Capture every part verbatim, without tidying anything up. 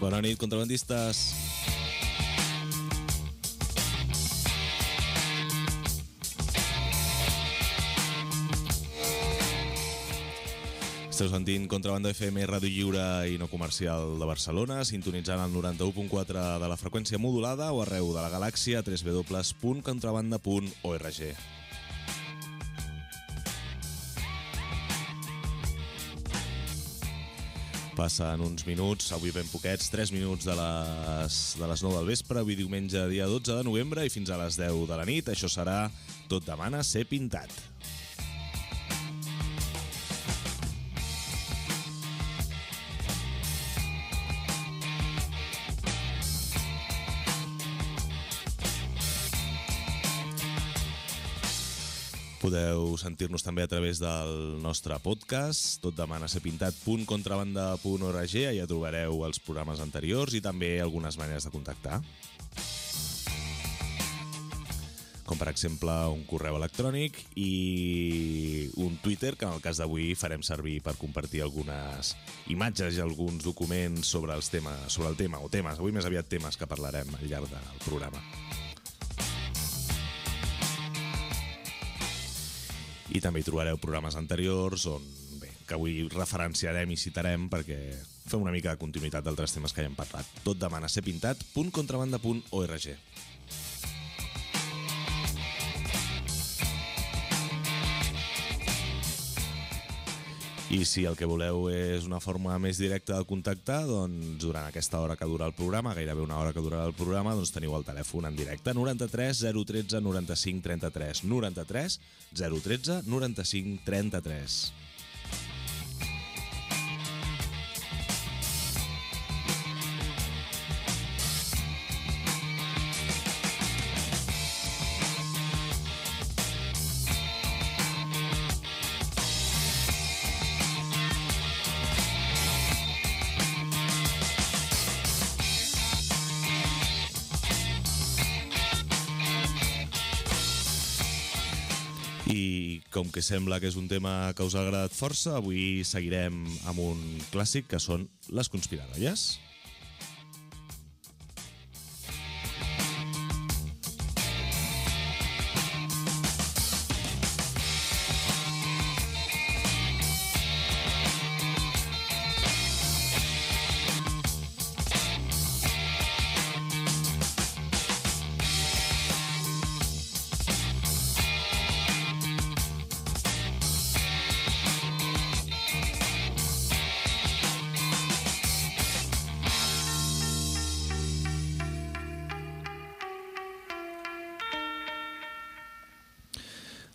Bona nit, contrabandistes. Esteu sentint Contrabanda F M, ràdio lliure i no comercial de Barcelona, sintonitzant el noranta-u punt quatre de la freqüència modulada o arreu de la galàxia a w w w punt contrabanda punt org. Passen uns minuts, avui ben poquets, tres minuts de les, de les nou del vespre, avui diumenge dia dotze de novembre i fins a les deu de la nit. Això serà Tot demana ser pintat. Podeu sentir-nos també a través del nostre podcast, tot demana ser pintat punt contrabanda punt org, allà trobareu els programes anteriors i també algunes maneres de contactar. Com per exemple un correu electrònic i un Twitter, que en el cas d'avui farem servir per compartir algunes imatges i alguns documents sobre, els temes, sobre el tema, o temes, avui més aviat temes que parlarem al llarg del programa. I també hi trobareu programes anteriors on, bé, que avui referenciarem i citarem perquè fem una mica de continuïtat d'altres temes que ja hem parlat. Tot demana ser pintat punt contrabanda punt org. I si el que voleu és una forma més directa de contactar, doncs durant aquesta hora que dura el programa, gairebé una hora que durarà el programa, doncs teniu el telèfon en directe noranta-tres zero tretze noranta-cinc trenta-tres, noranta-tres zero tretze noranta-cinc trenta-tres. I com que sembla que és un tema que us ha agradat força, avui seguirem amb un clàssic que són les conspiranoies.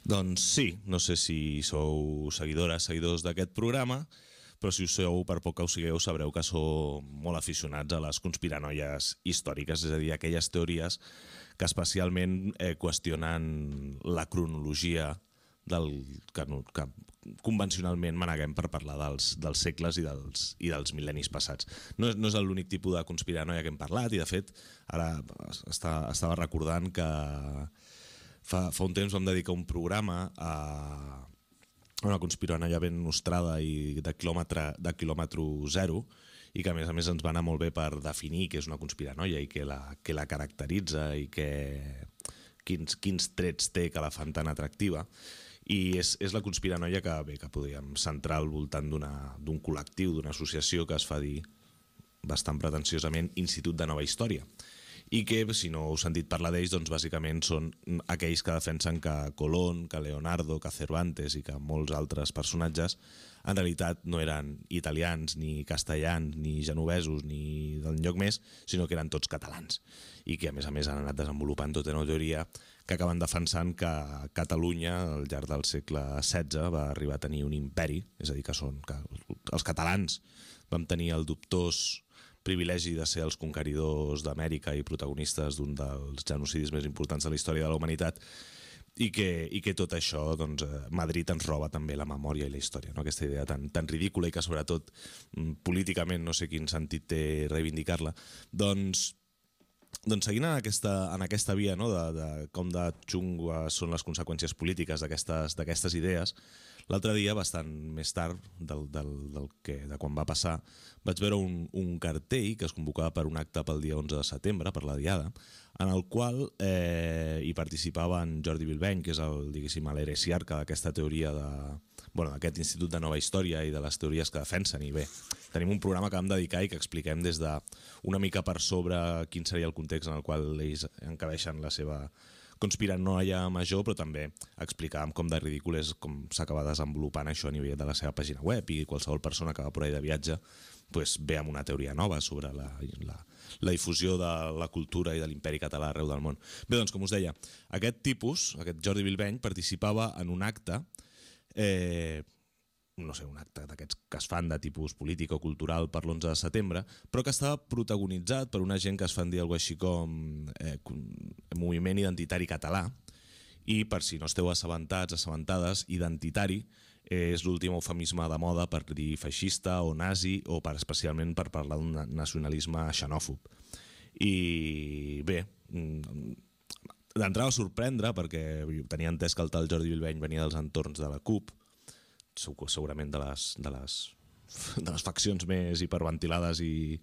Doncs sí, no sé si sou seguidores, seguidors d'aquest programa, però si ho sou, per poc que ho sigueu, sabreu que sou molt aficionats a les conspiranoies històriques, és a dir, aquelles teories que especialment eh, qüestionen la cronologia del, que, que convencionalment maneguem per parlar dels, dels segles i dels, i dels mil·lennis passats. No és, no és l'únic tipus de conspiranoia que hem parlat i, de fet, ara està, estava recordant que Fa, fa un temps vam dedicar un programa a una conspiranoia ben nostrada i de quilòmetre, de quilòmetre zero i que a més a més ens va anar molt bé per definir què és una conspiranoia i què la, què la caracteritza i què, quins, quins trets té que la fan tan atractiva. I és, és la conspiranoia que, bé, que podríem centrar al voltant d'un col·lectiu, d'una associació que es fa dir bastant pretensiosament Institut de Nova Història. I que, si no heu sentit parlar d'ells, doncs bàsicament són aquells que defensen que Colón, que Leonardo, que Cervantes i que molts altres personatges en realitat no eren italians, ni castellans, ni genovesos, ni d'enlloc més, sinó que eren tots catalans. I que, a més a més, han anat desenvolupant tota una teoria que acaben defensant que Catalunya, al llarg del segle setze, va arribar a tenir un imperi, és a dir, que són que els catalans vam tenir el dubtós privilegi de ser els conqueridors d'Amèrica i protagonistes d'un dels genocidis més importants de la història de la humanitat i que, i que tot això, doncs, Madrid ens roba també la memòria i la història, no? Aquesta idea tan, tan ridícula i que sobretot políticament no sé quin sentit té reivindicar-la. Doncs Doncs seguint en aquesta, en aquesta via, no, de, de com de xungues són les conseqüències polítiques d'aquestes d'aquestes idees, L'altre dia, bastant més tard del, del, del que, de quan va passar, vaig veure un, un cartell que es convocava per un acte pel dia onze de setembre, per la Diada, en el qual eh, hi participava en Jordi Bilbeny, que és el, diguéssim, l'heresiarca d'aquesta teoria de, bueno, d'aquest Institut de Nova Història i de les teories que defensen. I bé, tenim un programa que vam dedicar i que expliquem des de una mica per sobre quin seria el context en el qual ells encabeixen la seva conspiranoia major, però també explicàvem com de ridícul és com s'acaba desenvolupant això a nivell de la seva pàgina web, i qualsevol persona que va por ahí de viatge pues, ve amb una teoria nova sobre la, la, la difusió de la cultura i de l'imperi català arreu del món. Bé, doncs, com us deia, aquest tipus, aquest Jordi Bilbeny, participava en un acte eh, no sé, un acte d'aquests que es fan de tipus polític o cultural per l'onze de setembre, però que estava protagonitzat per una gent que es fan dir alguna cosa així com eh, moviment identitari català, i per si no esteu assabentats, assabentades, identitari és l'últim eufemisme de moda per dir feixista o nazi, o per, especialment per parlar d'un nacionalisme xenòfob. I bé, d'entrada va sorprendre perquè tenia entès que el tal Jordi Bilbeny venia dels entorns de la CUP, segurament de les, de les, de les faccions més hiperventilades i,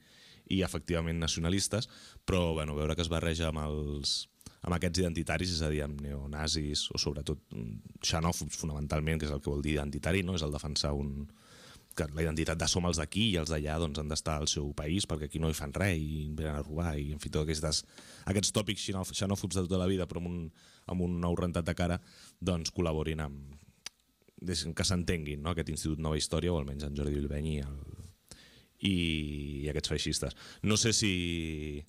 i efectivament nacionalistes, però bueno, veure que es barreja amb, els, amb aquests identitaris, és a dir, amb neonazis o sobretot xenòfobs fonamentalment, que és el que vol dir identitari, no? És el defensar un, que la identitat de som els d'aquí i els d'allà doncs, han d'estar al seu país perquè aquí no hi fan res i venen a robar, i en fi, tots aquests, aquests tòpics xenòfobs de tota la vida però amb un, amb un nou rentat de cara, doncs col·laborin amb que s'entenguin, no? Aquest Institut Nova Història, o almenys en Jordi Bilbeny i, el... I... i aquests feixistes. No sé si...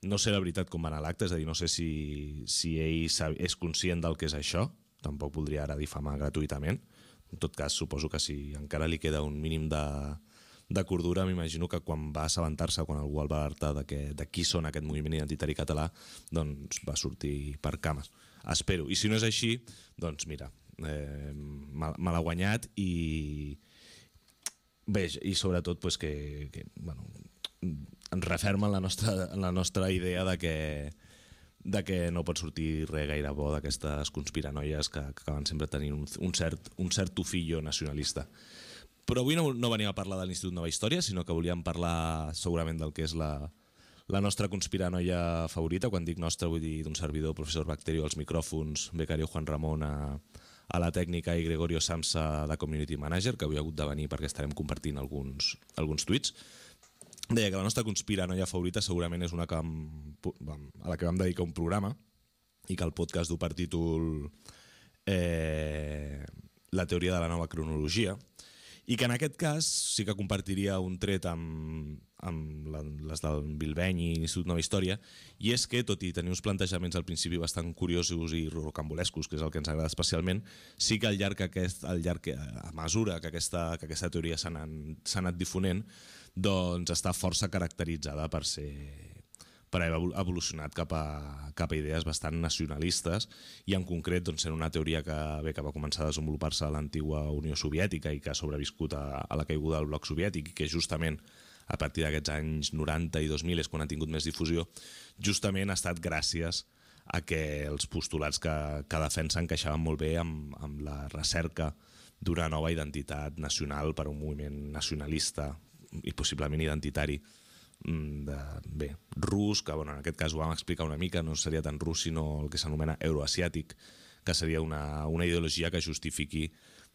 No sé la veritat com va anar l'acte, és a dir, no sé si, si ell és conscient del que és això, tampoc voldria ara difamar gratuïtament. En tot cas, suposo que si encara li queda un mínim de, de cordura, m'imagino que quan va assabentar-se, quan algú el va alertar de, que, de qui són aquest moviment identitari català, doncs va sortir per cames. Espero. I si no és així, doncs mira, eh, me l'ha guanyat i bé, i sobretot pues, que, que bueno, ens referma en la nostra, en la nostra idea de que, de que no pot sortir res gaire bo d'aquestes conspiranoies que, que acaben sempre tenint un, un, cert, un cert tufillo nacionalista. Però avui no, no venim a parlar de l'Institut Nova Història, sinó que volíem parlar segurament del que és la, la nostra conspiranoia favorita. Quan dic nostra vull dir d'un servidor, professor Bacterio als micròfons, becario Juan Ramon a, a la tècnica i Gregorio Samsa de Community Manager, que avui ha hagut de venir perquè estarem compartint alguns, alguns tuits. Deia que la nostra conspiranoia favorita segurament és una que vam, a la que vam dedicar un programa i que el podcast du per títol eh, La teoria de la nova cronologia, i que en aquest cas sí que compartiria un tret amb, amb les del Bilbeny i l'Institut Nova Història, i és que, tot i tenir uns plantejaments al principi bastant curiosos i rocambolescos, que és el que ens agrada especialment, sí que al llarg, aquest, al llarg a mesura que aquesta, que aquesta teoria s'ha anat, anat difonent, doncs està força caracteritzada per ser per haver evolucionat cap a, cap a idees bastant nacionalistes, i en concret doncs, sent una teoria que, bé, que va començar a desenvolupar-se a l'antigua Unió Soviètica i que ha sobreviscut a, a la caiguda del bloc soviètic, i que justament a partir d'aquests anys noranta i dos mil és quan ha tingut més difusió, justament ha estat gràcies a que els postulats que, que defensa encaixaven molt bé amb, amb la recerca d'una nova identitat nacional per a un moviment nacionalista i possiblement identitari de, bé, rus, que bueno, en aquest cas ho vam explicar una mica, no seria tan rus sinó el que s'anomena euroasiàtic, que seria una, una ideologia que justifiqui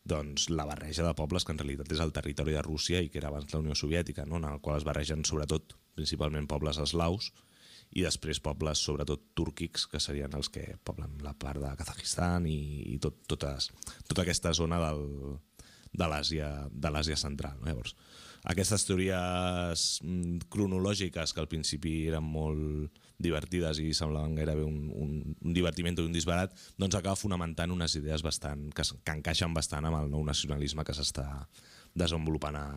doncs, la barreja de pobles que en realitat és el territori de Rússia i que era abans la Unió Soviètica, no? En el qual es barregen sobretot, principalment pobles eslaus i després pobles sobretot túrquics, que serien els que poblen la part de Kazajistan i, i tot, totes, tota aquesta zona del, de l'Àsia central, no? Llavors, aquestes teories cronològiques que al principi eren molt divertides i semblaven gairebé un, un, un divertiment o un disbarat, doncs acaba fonamentant unes idees bastant, que, que encaixen bastant amb el nou nacionalisme que s'està desenvolupant a,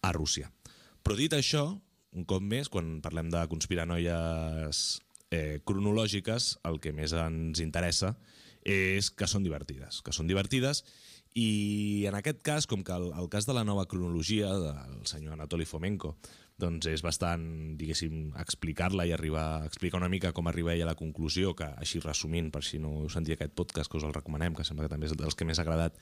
a Rússia. Però dit això, un cop més, quan parlem de conspiranoies eh, cronològiques, el que més ens interessa és que són divertides, que són divertides i en aquest cas, com que el, el cas de la nova cronologia del senyor Anatoly Fomenko doncs és bastant, diguéssim, explicar-la i arribar a explicar una mica com arriba ell a la conclusió, que així resumint, per si no heu sentit aquest podcast, que us el recomanem, que sembla que també és dels que més ha agradat,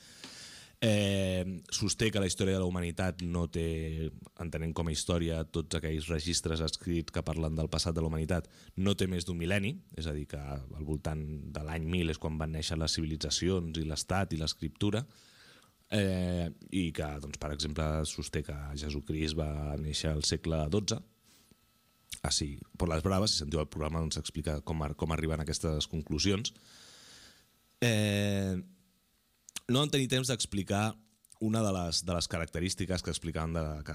Eh, sosté que la història de la humanitat no té, entenent com a història tots aquells registres escrits que parlen del passat de la humanitat, no té més d'un mil·lenni, és a dir, que al voltant de l'any mil és quan van néixer les civilitzacions i l'estat i l'escriptura, eh, i que, doncs, per exemple, sosté que Jesucrist va néixer al segle dotze, així, per les braves, si sentiu el programa, doncs explica com, com arriben a aquestes conclusions. Eh... No vam tenir temps d'explicar una de les, de les característiques que explicaven de, que,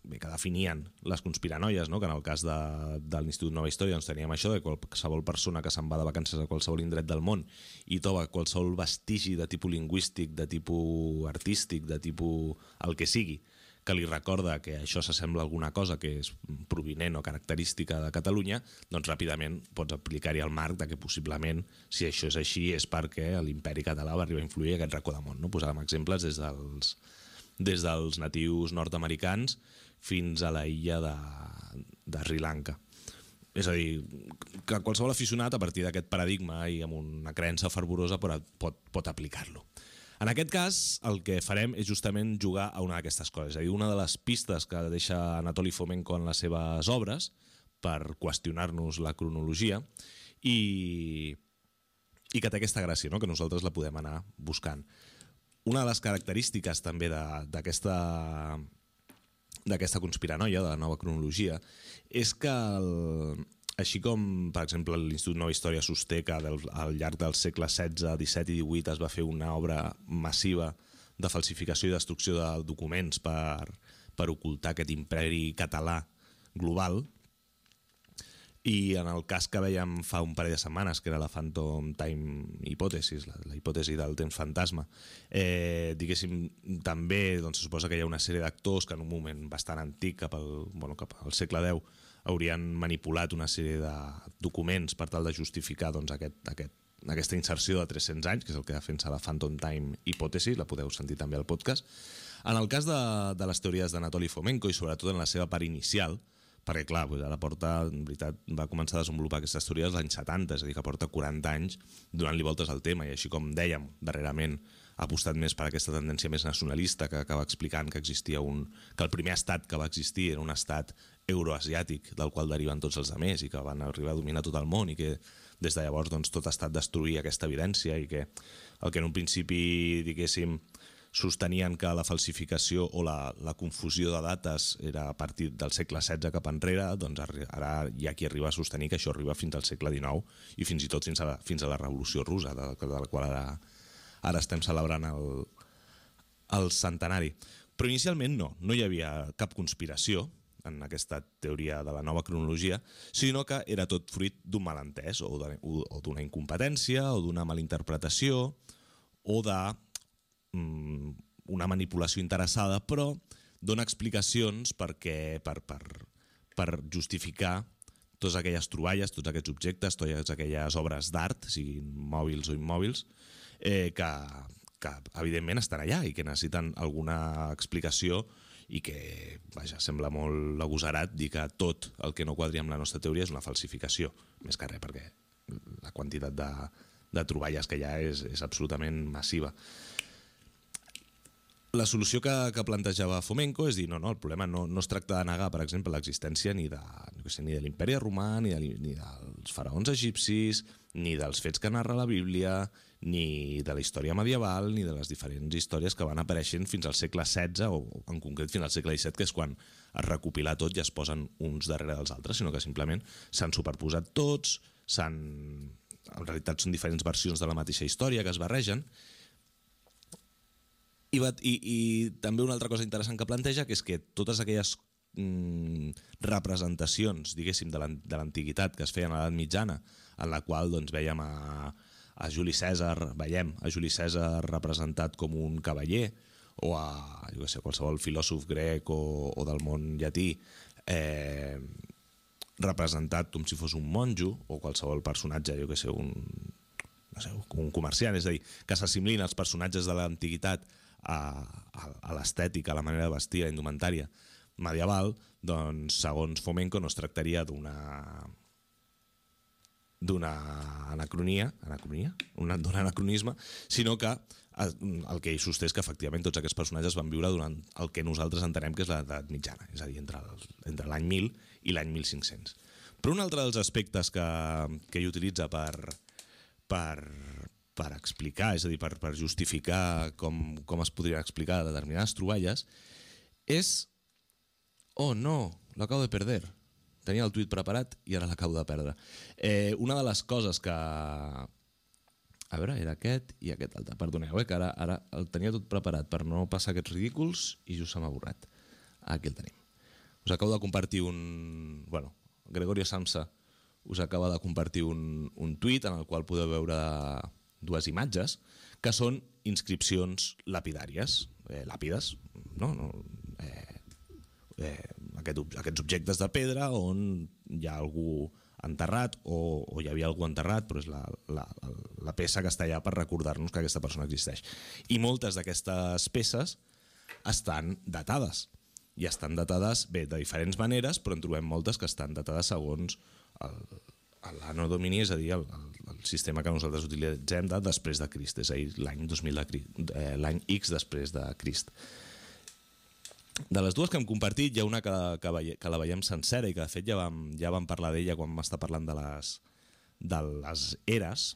bé, que definien les conspiranoies, no? Que en el cas de, de l'Institut Nova Història doncs teníem això de qualsevol persona que se'n va de vacances a qualsevol indret del món i troba qualsevol vestigi de tipus lingüístic, de tipus artístic, de tipus el que sigui, que li recorda que això s'assembla a alguna cosa que és provinent o característica de Catalunya, doncs ràpidament pots aplicar-hi el marc de que possiblement, si això és així, és perquè l'imperi català va arribar a influir aquest racó de món. No? Posàvem exemples des dels, des dels natius nord-americans fins a la illa de, de Sri Lanka. És a dir, que qualsevol aficionat a partir d'aquest paradigma i amb una creença fervorosa pot, pot, pot aplicar-lo. En aquest cas, el que farem és justament jugar a una d'aquestes coses. És a dir, una de les pistes que deixa Anatoli Fomenko en les seves obres per qüestionar-nos la cronologia i, i que té aquesta gràcia, no? Que nosaltres la podem anar buscant. Una de les característiques també d'aquesta d'aquesta conspiranoia, de la nova cronologia, és que el, així com, per exemple, l'Institut Nova Història sosté que del, al llarg dels segles setze, disset i divuit es va fer una obra massiva de falsificació i destrucció de documents per, per ocultar aquest imperi català global. I en el cas que veiem fa un parell de setmanes, que era la Phantom Time hipòtesis, la, la hipòtesi del temps fantasma, eh, diguéssim, també doncs, se suposa que hi ha una sèrie d'actors que en un moment bastant antic, cap al, bueno, cap al segle deu, haurien manipulat una sèrie de documents per tal de justificar doncs, aquest, aquest, aquesta inserció de tres-cents anys, que és el que defensa la Phantom Time hipòtesi, la podeu sentir també al podcast. En el cas de, de les teories d'Anatoli Fomenko i sobretot en la seva part inicial, perquè clar, doncs ara porta, en veritat, va començar a desenvolupar aquestes teories als anys setanta, és a dir, que porta quaranta anys donant-li voltes al tema, i així com dèiem, darrerament ha apostat més per aquesta tendència més nacionalista que acaba explicant que existia un, que el primer estat que va existir era un estat euroasiàtic del qual deriven tots els altres i que van arribar a dominar tot el món i que des de llavors doncs, tot ha estat destruir aquesta evidència i que el que en un principi, diguéssim, sostenien que la falsificació o la, la confusió de dates era a partir del segle setze cap enrere, doncs ara hi ha qui arriba a sostenir que això arriba fins al segle dinou i fins i tot fins a la, fins a la Revolució Russa, de, de la qual ara, ara estem celebrant el, el centenari. Però inicialment no, no hi havia cap conspiració en aquesta teoria de la nova cronologia, sinó que era tot fruit d'un malentès o d'una incompetència o d'una malinterpretació o de una manipulació interessada, però dona explicacions perquè, per, per, per justificar totes aquelles troballes, tots aquests objectes, totes aquelles obres d'art, siguin mòbils o immòbils, eh, que, que evidentment estan allà i que necessiten alguna explicació i que, vaja, sembla molt agosarat dir que tot el que no quadri amb la nostra teoria és una falsificació, més que res, perquè la quantitat de, de troballes que hi ha és, és absolutament massiva. La solució que, que plantejava Fomenko és dir, no, no, el problema no, no es tracta de negar, per exemple, l'existència ni de, no sé, ni de l'imperi romà, ni, de, ni dels faraons egipcis, ni dels fets que narra la Bíblia, ni de la història medieval, ni de les diferents històries que van apareixent fins al segle setze, o en concret fins al segle disset, que és quan es recopila tot i es posen uns darrere dels altres, sinó que simplement s'han superposat tots, s'han... en realitat són diferents versions de la mateixa història que es barregen. I, i, i també una altra cosa interessant que planteja, que és que totes aquelles mm, representacions, diguéssim, de l'antiguitat que es feien a l'edat mitjana, en la qual doncs, veiem a, a Juli Cèsar, veiem a Juli Cèsar representat com un cavaller, o a jo què sé, qualsevol filòsof grec o, o del món llatí eh, representat com si fos un monjo, o qualsevol personatge, jo què sé, un, no sé, un comerciant, és a dir, que s'assimilin els personatges de l'antiguitat a, a, a l'estètica, a la manera de vestir, a la indumentària medieval, doncs segons Fomenko no es tractaria d'una d'una anacronia, anacronia? d'un anacronisme, sinó que el que ell sosté és que efectivament tots aquests personatges van viure durant el que nosaltres entenem que és l'edat mitjana, és a dir, entre, el, entre l'any mil i l'any mil cinc-cents. Però un altre dels aspectes que, que ell utilitza per, per, per explicar, és a dir, per, per justificar com, com es podrien explicar determinades troballes, és... Oh, no, lo acabo de perder. Tenia el tuit preparat i ara l'acabo de perdre. Eh, una de les coses que... A veure, era aquest i aquest altre. Perdoneu, eh, que ara, ara el tenia tot preparat per no passar aquests ridículs i just se m'ha borrat. Aquí el tenim. Us acabo de compartir un... Bueno, Gregorio Samsa us acaba de compartir un, un tuit en el qual podeu veure dues imatges que són inscripcions lapidàries, eh, làpides, no? no eh, eh, aquest, aquests objectes de pedra on hi ha algú enterrat o, o hi havia algú enterrat, però és la, la, la peça que està allà per recordar-nos que aquesta persona existeix. I moltes d'aquestes peces estan datades. I estan datades, bé, de diferents maneres, però en trobem moltes que estan datades segons l'Anno Domini, és a dir, el, el, el sistema que nosaltres utilitzem de després de Crist, és a dir, l'any dos mil de Crist, eh, l'any X després de Crist. De les dues que hem compartit, hi ha una que, que, veie, que la veiem sencera i que de fet ja vam, ja vam parlar d'ella quan vam estar parlant de les, de les eres.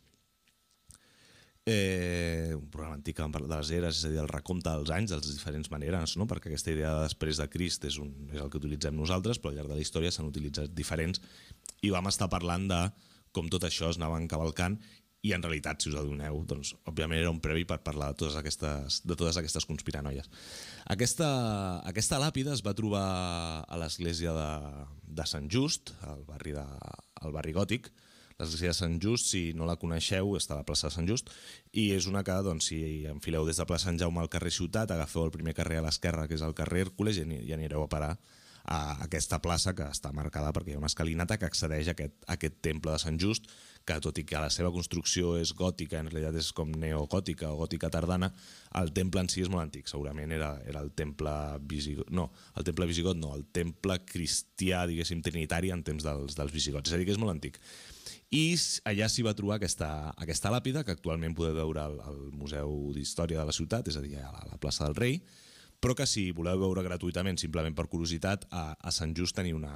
Eh, un programa antic que vam parlar de les eres, és a dir, el recompte dels anys, de les diferents maneres, no? Perquè aquesta idea de després de Crist és, un, és el que utilitzem nosaltres, però al llarg de la història s'han utilitzat diferents i vam estar parlant de com tot això es anava encavalcant i en realitat, si us adoneu, doncs, òbviament era un previ per parlar de totes aquestes, de totes aquestes conspiranoies. Aquesta, aquesta làpida es va trobar a l'església de, de Sant Just, al barri, de, al barri gòtic. L'església de Sant Just, si no la coneixeu, està a la plaça de Sant Just, i és una que, doncs, si enfileu des de plaça Sant Jaume al carrer Ciutat, agafeu el primer carrer a l'esquerra, que és el carrer Hèrcules, i anireu a parar a aquesta plaça que està marcada perquè hi ha una escalinata que accedeix a aquest, a aquest temple de Sant Just, que tot i que la seva construcció és gòtica, en realitat és com neogòtica o gòtica tardana, el temple en si és molt antic. Segurament era, era el temple visigot, no, el temple visigot no, el temple cristià, diguéssim, trinitari en temps dels, dels visigots, és a dir, que és molt antic. I allà s'hi va trobar aquesta, aquesta làpida, que actualment podeu veure al, al Museu d'Història de la ciutat, és a dir, a la, a la plaça del Rei, però que si voleu veure gratuïtament, simplement per curiositat, a, a Sant Just teniu una,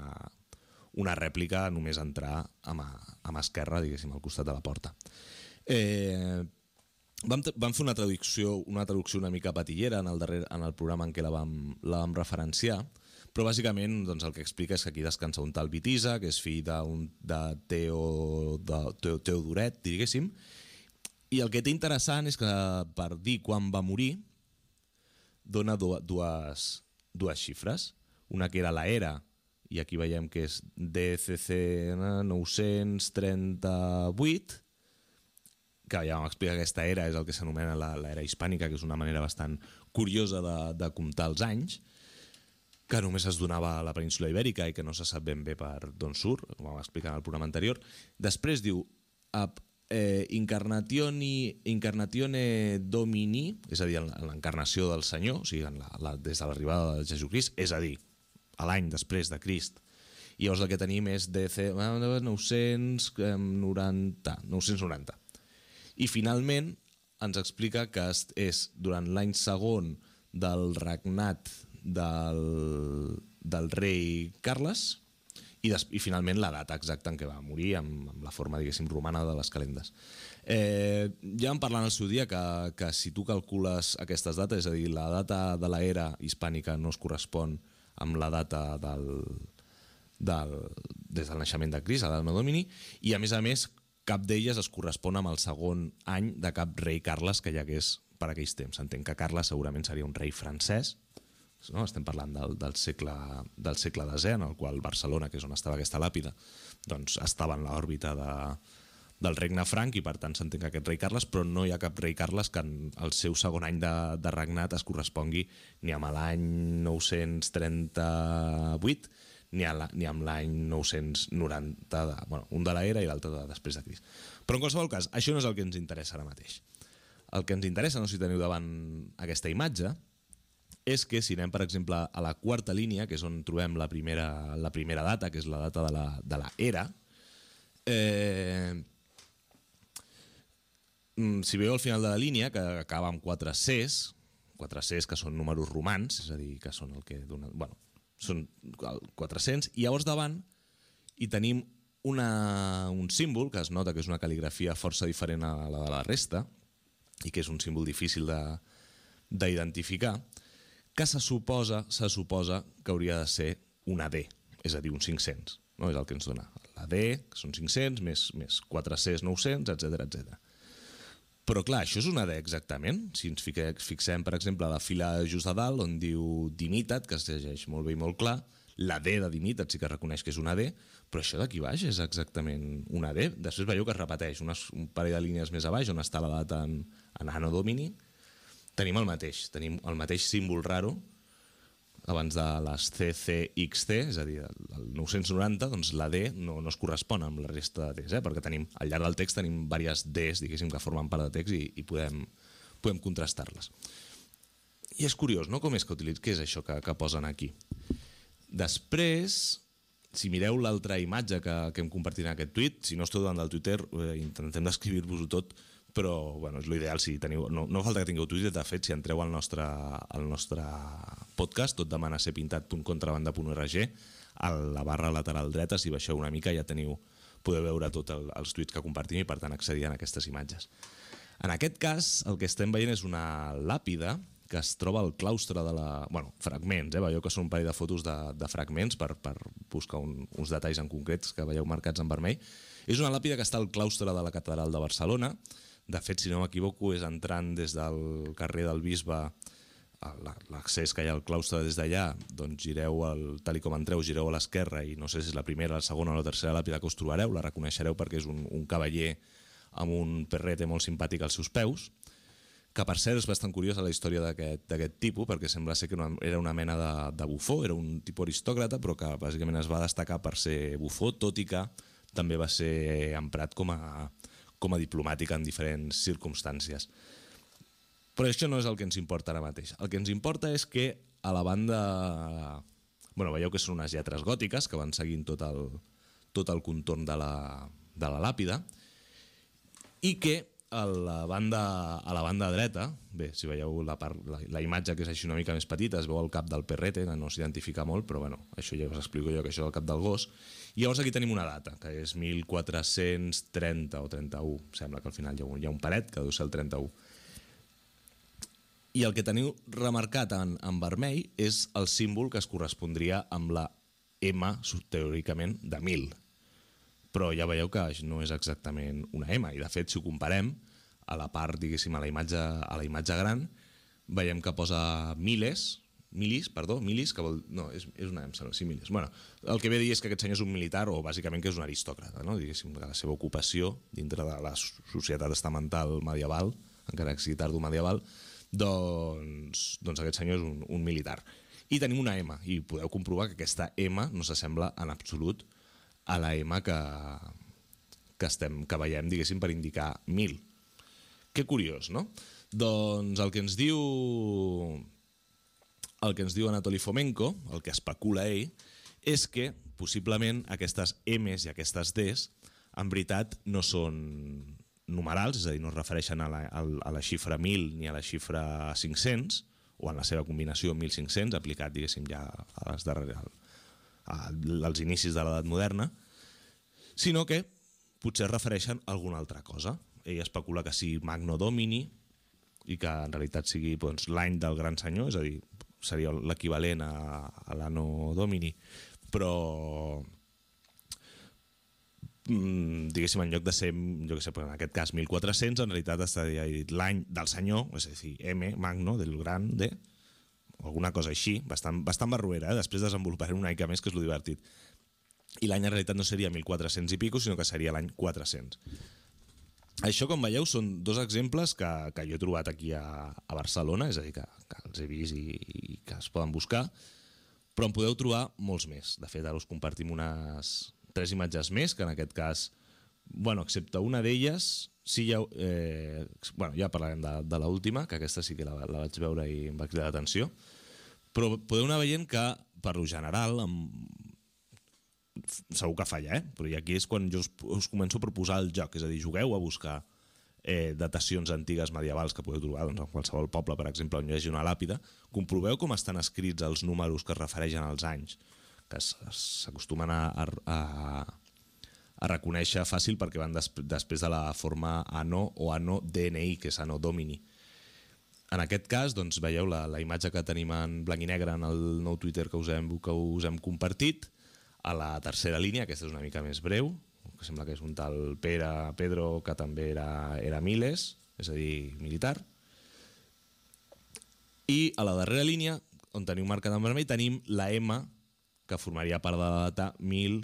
una rèplica només entrar amb, amb esquerra, diguéssim, al costat de la porta. Eh, vam, vam fer una traducció, una traducció una mica patillera en el, darrer, en el programa en què la vam, la vam referenciar, però bàsicament doncs, el que explica és que aquí descansa un tal Vitisa, que és fill d'un, de Teo, de Teo, Teodoret, diguéssim, i el que té interessant és que per dir quan va morir dona dues, dues xifres, una que era la era, i aquí veiem que és D C C nou-cents trenta-vuit, que ja vam explicar que aquesta era és el que s'anomena l'era hispànica, que és una manera bastant curiosa de, de comptar els anys, que només es donava a la península ibèrica i que no se sap ben bé per d'on surt, com vam explicar en el programa anterior. Després diu eh, Incarnatione, Incarnatione Domini, és a dir, l'encarnació del Senyor, o sigui, en la, la, des de l'arribada de Jesucrist, és a dir, a l'any després de Crist. I llavors el que tenim és D C nou-cents noranta, nou-cents noranta. I finalment ens explica que és durant l'any segon del regnat del, del rei Carles i, des, i finalment la data exacta en què va morir amb, amb la forma, diguéssim, romana de les calendes. Eh, ja vam parlar en el seu dia que, que si tu calcules aquestes dates, és a dir, la data de l'era hispànica no es correspon amb la data del, del, des del naixement de Crist, a l'Anno Domini, i a més a més cap d'elles es correspon amb el segon any de cap rei Carles que hi hagués per aquells temps. Entenc que Carles segurament seria un rei francès, no? Estem parlant del, del, segle, del segle desè, en el qual Barcelona, que és on estava aquesta làpida, doncs estava en l'òrbita de, del regne franc i per tant s'entén que aquest rei Carles, però no hi ha cap rei Carles que en el seu segon any de, de regnat es correspongui ni amb l'any nou-cents trenta-vuit ni, a la, ni amb l'any nou-cents noranta, de, bueno, un de l'era i l'altre de després de Crist. Però en qualsevol cas, això no és el que ens interessa ara mateix. El que ens interessa, no sé si teniu davant aquesta imatge, és que si anem, per exemple, a la quarta línia, que és on trobem la primera, la primera data, que és la data de la, de la era, Eh, si veieu al final de la línia, que acaba amb quatre Cs, quatre Cs que són números romans, és a dir, que són el que dona... Bueno, són quatre-cents, i llavors davant hi tenim una, un símbol que es nota que és una cal·ligrafia força diferent a la de la resta i que és un símbol difícil d'identificar, que se suposa, se suposa que hauria de ser una D, és a dir, un cinc-cents, no? És el que ens dona. La D, que són cinc-cents, més, més quatre Cs, nou-cents, etcètera, etcètera. Però clar, això és una D exactament. Si ens fixem, per exemple, a la fila just a dalt, on diu Dimitat, que es llegeix molt bé i molt clar, la D de Dimitat sí que reconeix que és una D, però això d'aquí baix és exactament una D. Després veieu que es repeteix unes, un parell de línies més a baix, on està la data en, en Anno Domini. Tenim el mateix, tenim el mateix símbol raro abans de les C C X T, és a dir, el nou-cents noranta, doncs la D no, no es correspon amb la resta de Ds, eh? Perquè tenim, al llarg del text tenim diverses Ds, diguéssim, que formen part de text i, i podem, podem contrastar-les. I és curiós, no?, com és que utilitzen, què és això que, que posen aquí? Després, si mireu l'altra imatge que, que hem compartit en aquest tuit, si no esteu davant del Twitter, eh, intentem descriure-vos-ho tot, però bueno, és l'ideal si teniu... No, no falta que tingueu Twitter, de fet, si entreu al nostre, al nostre podcast, tot demana ser pintat punt contrabanda punt org, a la barra lateral dreta, si baixeu una mica ja teniu, podeu veure tots el, els tuits que compartim i per tant accedir a aquestes imatges. En aquest cas, el que estem veient és una làpida que es troba al claustre de la... Bueno, fragments, eh? Veieu que són un parell de fotos de, de fragments per, per buscar un, uns detalls en concrets que veieu marcats en vermell. És una làpida que està al claustre de la Catedral de Barcelona. De fet, si no m'equivoco, és entrant des del carrer del Bisbe, l'accés que hi ha al claustre des d'allà, doncs gireu, el, tal com entreu, gireu a l'esquerra i no sé si és la primera, la segona o la tercera làpida que us trobareu, la reconeixereu perquè és un, un cavaller amb un perrete molt simpàtic als seus peus, que per cert és bastant curiosa la història d'aquest tipus, perquè sembla ser que era una mena de, de bufó, era un tipus aristòcrata, però que bàsicament es va destacar per ser bufó, tot i que també va ser emprat com a com a diplomàtica en diferents circumstàncies. Però això no és el que ens importa ara mateix. El que ens importa és que a la banda... Bueno, veieu que són unes lletres gòtiques que van seguint tot el, tot el contorn de la, de la làpida i que a la banda, a la banda dreta, bé, si veieu la, part, la, la imatge que és així una mica més petita, es veu el cap del perrete, que no s'identifica molt, però bueno, això ja us explico jo que això és el cap del gos. I llavors aquí tenim una data, que és mil quatre-cents trenta o trenta-u. Sembla que al final hi ha un, hi ha un paret que deu ser el trenta-u. I el que teniu remarcat en, en vermell és el símbol que es correspondria amb la M, teòricament, de mil. Però ja veieu que no és exactament una M. I de fet, si ho comparem, a la part, diguéssim, a la imatge, a la imatge gran, veiem que posa miles, milis, perdó, milis, que vol... No, és, és una M, sí, milis. Bueno, el que ve a dir és que aquest senyor és un militar o bàsicament que és un aristòcrata, no? Diguéssim, que la seva ocupació dintre de la societat estamental medieval, encara que sigui tardo-medieval, doncs, doncs aquest senyor és un, un militar. I tenim una M, i podeu comprovar que aquesta M no s'assembla en absolut a la M que, que, estem, que veiem, diguéssim, per indicar mil. Que curiós, no? Doncs el que ens diu... El que ens diu Anatoly Fomenko, el que especula ell, és que possiblement aquestes M's i aquestes D's en veritat no són numerals, és a dir, no es refereixen a la, a la xifra mil ni a la xifra cinc-cents, o en la seva combinació mil cinc-cents, aplicat, diguéssim, ja a les darreres, als inicis de l'edat moderna, sinó que potser es refereixen a alguna altra cosa. Ell especula que sigui Magno Domini i que en realitat sigui doncs, l'any del gran senyor, és a dir, seria l'equivalent a, a l'Anno Domini, però diguéssim, en lloc de ser, jo què sé, en aquest cas mil quatre-cents, en realitat estaria dit l'any del senyor, és a dir, M, Magno, del gran, de, alguna cosa així, bastant, bastant barruera, eh? Després desenvoluparem una mica més, que és lo divertit. I l'any en realitat no seria mil quatre-cents i pico, sinó que seria l'any quatre-cents. Això, com veieu, són dos exemples que, que jo he trobat aquí a, a Barcelona, és a dir, que, que els he vist i, i que es poden buscar, però en podeu trobar molts més. De fet, ara us compartim unes tres imatges més, que en aquest cas, bueno, excepte una d'elles, sí ja, eh, bueno, ja parlarem de, de l'última, que aquesta sí que la, la vaig veure i em va cridar l'atenció, però podeu anar veient que, per lo general, amb segur que falla, eh? Però aquí és quan jo us, us començo a proposar el joc, és a dir, jugueu a buscar eh, datacions antigues medievals que podeu trobar doncs, en qualsevol poble, per exemple, on hi hagi una làpida, comproveu com estan escrits els números que es refereixen als anys, que s'acostumen a, a, a reconèixer fàcil perquè van des, després de la forma anno o anno D N I, que és anno domini. En aquest cas, doncs, veieu la, la imatge que tenim en blanc i negre en el nou Twitter que us hem, que us hem compartit. A la tercera línia, aquesta és una mica més breu, que sembla que és un tal Pere, Pedro, que també era, era Miles, és a dir, militar. I a la darrera línia, on teniu marcat en vermell, tenim la M, que formaria part de la data mil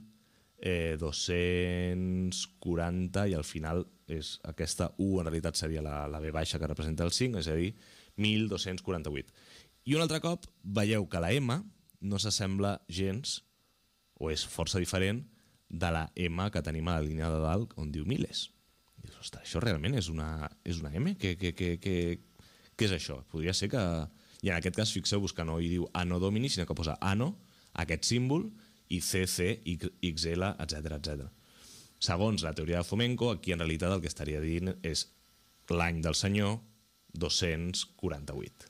dos-cents quaranta, i al final és aquesta U, en realitat seria la, la V baixa que representa el cinc, és a dir, mil dos-cents quaranta-vuit. I un altre cop veieu que la M no s'assembla gens, o és força diferent, de la M que tenim a la línia de dalt on diu miles. I dius, ostres, això realment és una, és una M? Què, què, què, què, què és això? Podria ser que... I en aquest cas, fixeu-vos que no hi diu anno domini, sinó que posa anno, aquest símbol, i C C, X L, etcètera, etcètera. Segons la teoria de Fomenko, aquí en realitat el que estaria dient és l'any del senyor dos-cents quaranta-vuit.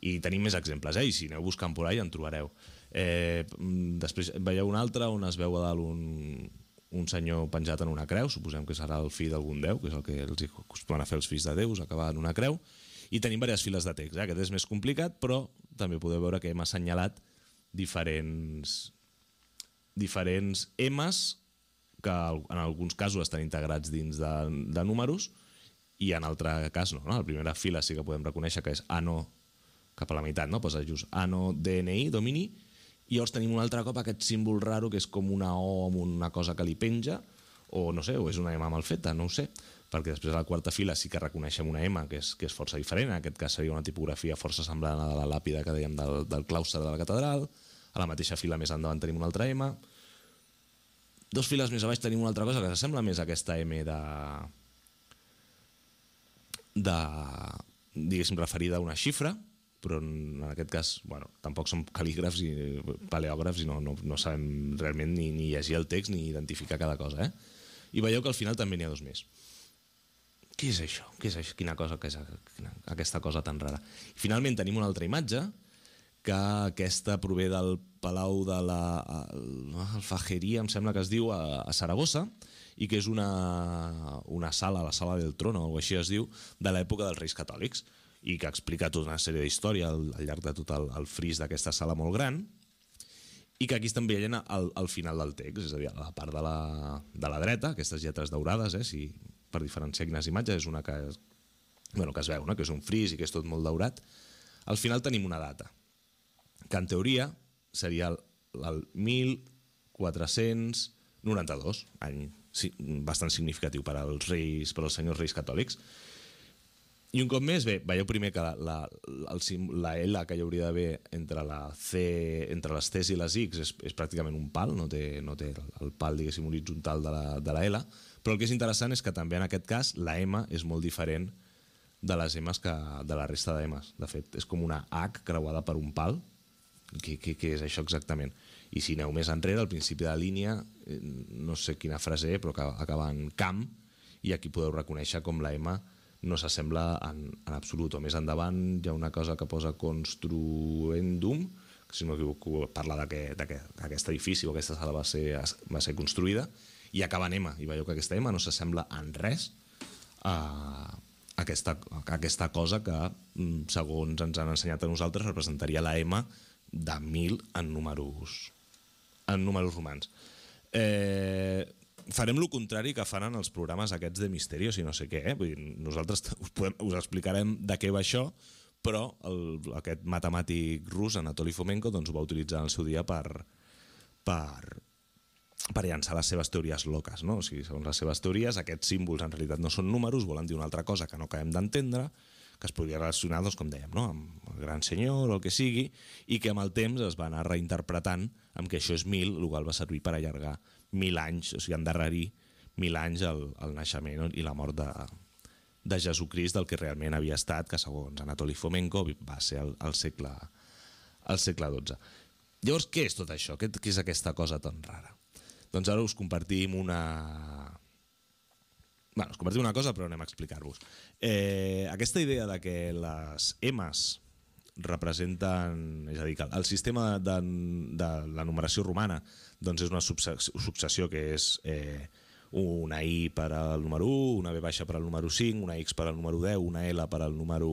I tenim més exemples, eh? I si aneu buscant por ahí en trobareu. Eh, després veieu un altre on es veu a dalt un, un senyor penjat en una creu, suposem que serà el fill d'algun déu, que és el que els acostumen a fer els fills de déus, acabar en una creu, i tenim diverses files de text. Eh? Aquest és més complicat, però també podeu veure que hem assenyalat diferents... diferents M's que en alguns casos estan integrats dins de, de números i en altre cas no, no. A la primera fila sí que podem reconèixer que és anno cap a la meitat, no? Posa just anno D N I, domini, i llavors tenim un altre cop aquest símbol raro que és com una O amb una cosa que li penja, o no sé, o és una M mal feta, no ho sé, perquè després a la quarta fila sí que reconeixem una M que és, que és força diferent, en aquest cas seria una tipografia força semblant a la làpida que dèiem del, del claustre de la catedral. A la mateixa fila més endavant tenim una altra M. Dos files més a baix tenim una altra cosa que s'assembla més a aquesta M de... de... diguéssim, referida a una xifra, però en aquest cas, bueno, tampoc som cal·lígrafs i paleògrafs i no, no, no sabem realment ni, ni llegir el text ni identificar cada cosa, eh? I veieu que al final també n'hi ha dos més. Què és això? Què és això? Quina cosa que és aquesta cosa tan rara? I finalment tenim una altra imatge, que aquesta prové del Palau de la Alfajeria, em sembla que es diu, a, a Saragossa, i que és una, una sala, la sala del trono, o així es diu, de l'època dels Reis Catòlics, i que explica tota una sèrie d'història al, al llarg de tot el, el fris d'aquesta sala molt gran, i que aquí estan veient al, al final del text, és a dir, a la part de la, de la dreta, aquestes lletres daurades, eh, si, per diferenciar quines imatges, és una que, bueno, que es veu, no? Que és un fris i que és tot molt daurat. Al final tenim una data, que en teoria seria el, el mil quatre-cents noranta-dos, any bastant significatiu per als reis, per als senyors reis catòlics. I un cop més, bé, veieu primer que la, la, el, la L que hi hauria d'haver entre la C, entre les T's i les X és, és pràcticament un pal, no té, no té el, el pal, diguéssim, horitzontal de la, de la L, però el que és interessant és que també en aquest cas la M és molt diferent de les M's que de la resta de M's. De fet, és com una H creuada per un pal. Què, què, què és això exactament? I si aneu més enrere, al principi de la línia, no sé quina frase, però que acaba en camp, i aquí podeu reconèixer com la M no s'assembla en, en absolut. O més endavant hi ha una cosa que posa construendum, que si no m'equivoco parla d'aquest edifici o aquesta sala va ser, va ser construïda, i acaba en M, i veieu que aquesta M no s'assembla en res a aquesta, a aquesta cosa que, segons ens han ensenyat a nosaltres, representaria la M de mil en números, en números romans. Eh, farem el contrari que fan en els programes aquests de Misterios i no sé què, eh? Vull dir, nosaltres us, podem, us explicarem de què va això, però el, aquest matemàtic rus, Anatoly Fomenko, doncs ho va utilitzar en el seu dia per, per, per llançar les seves teories loques, no? O sigui, segons les seves teories, aquests símbols en realitat no són números, volen dir una altra cosa que no acabem d'entendre, que es podria relacionar, doncs, com dèiem, no? Amb el gran senyor o el que sigui, i que amb el temps es va anar reinterpretant amb que això és mil, el qual va servir per allargar mil anys, o sigui, endarrerir mil anys el, el naixement i la mort de, de Jesucrist, del que realment havia estat, que segons Anatoly Fomenko va ser el, el, segle, el segle dotze. Llavors, què és tot això? Què, què és aquesta cosa tan rara? Doncs ara us compartim una... Bé, us compartim una cosa, però anem a explicar-vos. Eh, aquesta idea de que les M's representen... És a dir, que el sistema de, de la numeració romana doncs és una successió que és eh, una I per al número u, una V baixa per al número cinc, una X per al número deu, una L per al número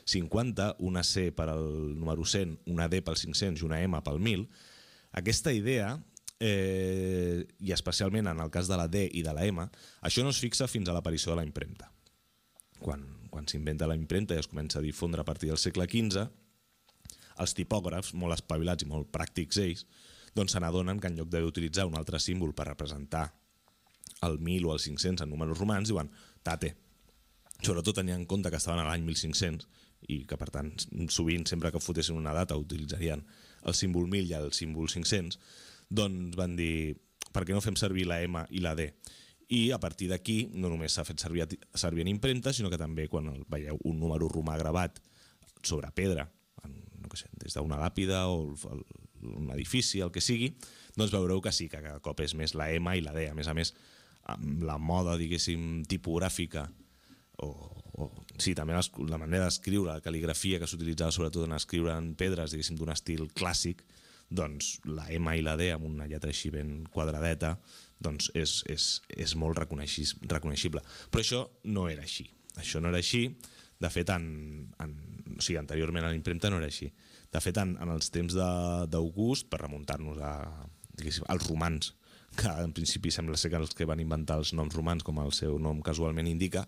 cinquanta, una C per al número cent, una D pel cinc-cents i una M pel mil. Aquesta idea... Eh, i especialment en el cas de la D i de la M, això no es fixa fins a l'aparició de la impremta. Quan, quan s'inventa la impremta i es comença a difondre a partir del segle quinze, els tipògrafs, molt espavilats i molt pràctics ells, doncs se n'adonen que en lloc d'haver d'utilitzar un altre símbol per representar el mil o el cinc-cents en números romans, diuen tate. Sobretot tenint en compte que estaven a l'any mil cinc-cents i que per tant sovint sempre que fotessin una data utilitzarien el símbol mil i el símbol cinc-cents, doncs van dir, per què no fem servir la M i la D? I a partir d'aquí no només s'ha fet servir, servir en impremta, sinó que també quan veieu un número romà gravat sobre pedra, en, no sé, des d'una làpida o el, un edifici, el que sigui, doncs veureu que sí, que cada cop és més la M i la D. A més a més, amb la moda, diguéssim, tipogràfica, o, o sí, també la manera d'escriure, la cal·ligrafia que s'utilitzava sobretot en escriure en pedres, diguéssim, d'un estil clàssic, doncs la M i la D amb una lletra així ben quadradeta doncs és, és, és molt reconeixible. Però això no era així. Això no era així. De fet, en, en, o sigui, anteriorment a la impremta no era així. De fet, en, en els temps d'August, per remuntar-nos a, als romans, que en principi sembla ser que els que van inventar els noms romans, com el seu nom casualment indica,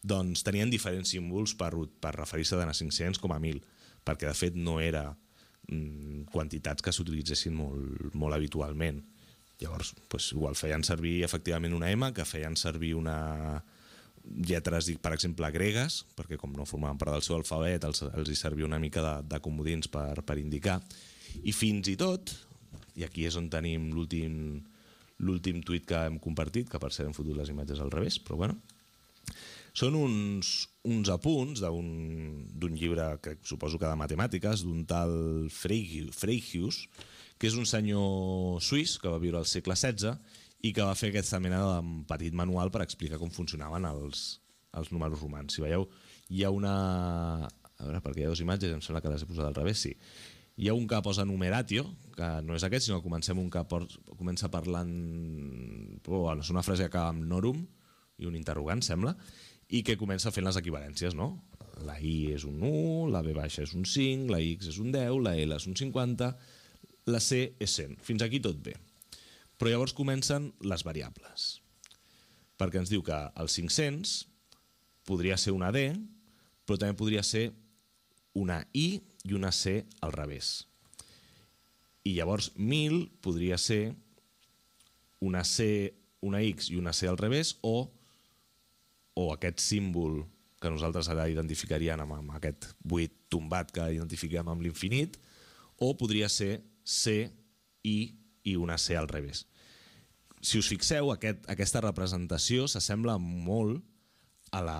doncs tenien diferents símbols per, per referir-se tant a cinc-cents com a mil, perquè de fet no era quantitats que s'utilitzessin molt, molt habitualment. Llavors, doncs, igual feien servir efectivament una M, que feien servir una lletres, per exemple, gregues, perquè com no formaven part del seu alfabet, els, els hi servia una mica de, de comodins per, per indicar. I fins i tot, i aquí és on tenim l'últim l'últim tuit que hem compartit, que per cert hem fotut les imatges al revés, però bueno, són uns, uns apunts d'un llibre que suposo que de matemàtiques, d'un tal Freycius, que és un senyor suís que va viure al segle setze i que va fer aquesta mena de petit manual per explicar com funcionaven els, els números romans. Si veieu, hi ha una... A veure, perquè hi ha dues imatges, em sembla que les he posat al revés, sí. Hi ha un que posa numeratio, que no és aquest, sinó que comencem un que comença parlant... Oh, és una frase que acaba amb norum i un interrogant, sembla, i que comença fent les equivalències, no? La I és un u, la V baixa és un cinc, la X és un deu, la L és un cinquanta, la C és cent. Fins aquí tot bé. Però llavors comencen les variables. Perquè ens diu que el cinc-cents podria ser una D, però també podria ser una I i una C al revés. I llavors mil podria ser una C, una X i una C al revés, o o aquest símbol que nosaltres ara identificaríem amb, amb aquest vuit tombat que identifiquem amb l'infinit, o podria ser C, I i una C al revés. Si us fixeu, aquest, aquesta representació s'assembla molt a la,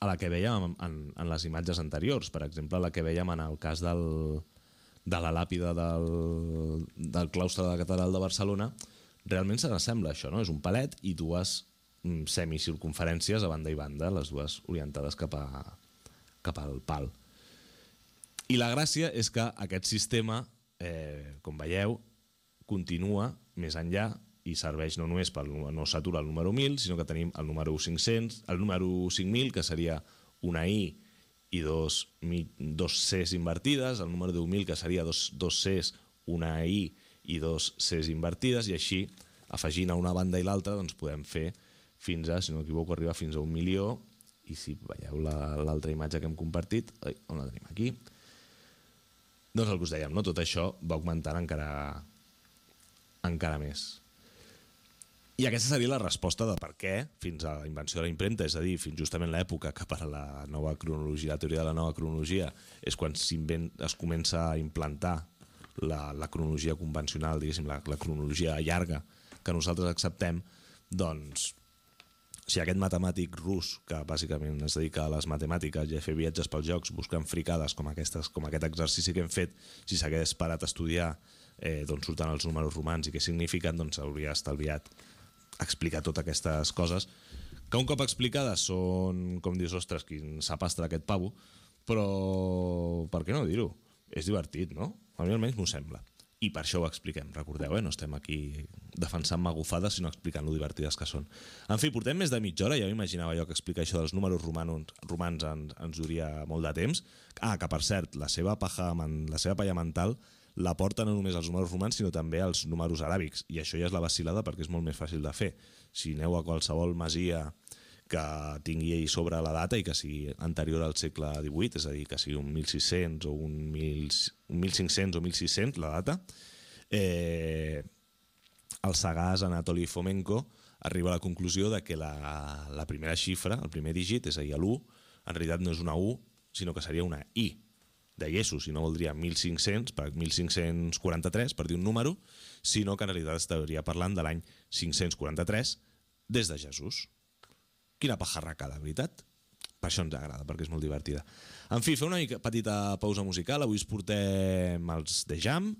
a la que vèiem en, en, en les imatges anteriors. Per exemple, la que vèiem en el cas del, de la làpida del, del claustre de la Catedral de Barcelona. Realment se n'assembla això, no? És un palet i dues semicircunferències a banda i banda, les dues orientades cap, a, cap al pal. I la gràcia és que aquest sistema, eh, com veieu, continua més enllà i serveix no només per no s'atura el número mil, sinó que tenim el número cinc-cents, el número cinc mil, que seria una I i dos, dos Cs invertides, el número deu mil, que seria dos, dos Cs, una I i dos Cs invertides, i així, afegint a una banda i l'altra, doncs podem fer fins a, si no m'equivoco, arriba fins a un milió, i si veieu l'altra imatge que hem compartit, ai, on la tenim aquí, doncs el que us dèiem, no? Tot això va augmentant encara, encara més. I aquesta seria la resposta de per què, fins a la invenció de la impremta, és a dir, fins justament l'època que per a la nova cronologia, la teoria de la nova cronologia, és quan es comença a implantar la, la cronologia convencional, diguéssim, la, la cronologia llarga que nosaltres acceptem, doncs si aquest matemàtic rus, que bàsicament es dedica a les matemàtiques i a fer viatges pels jocs buscant fricades com, aquestes, com aquest exercici que hem fet, si s'hagués parat a estudiar eh, d'on surten els números romans i què signifiquen, doncs hauria estalviat explicar totes aquestes coses, que un cop explicades són, com dius, ostres, quin sapastre aquest pavo, però per què no dir-ho? És divertit, no? A mi almenys m'ho sembla. I per això ho expliquem, recordeu, eh? No estem aquí defensant magufades, sinó explicant lo divertides que són. En fi, portem més de mitja hora, ja m'imaginava jo que explicar això dels números romanos, romans ens, ens duria molt de temps. Ah, que per cert, la seva paja, la seva palla mental la porta no només als números romans, sinó també als números aràbics, i això ja és la vacil·lada perquè és molt més fàcil de fer. Si aneu a qualsevol masia que tingui sobre la data i que sigui anterior al segle divuit, és a dir, que sigui un mil sis-cents o un mil cinc-cents o mil sis-cents, la data, eh, el sagàs Anatoli Fomenko arriba a la conclusió de que la, la primera xifra, el primer dígit, és a dir, l'u, en realitat no és una U, sinó que seria una I, de Jesús, i no voldria mil cinc-cents, per mil cinc-cents quaranta-tres, per dir un número, sinó que en realitat estaria parlant de l'any cinc-cents quaranta-tres des de Jesús. Quina pajarracada, veritat? Per això ens agrada, perquè és molt divertida. En fi, fer una mica petita pausa musical. Avui us portem els The Jam,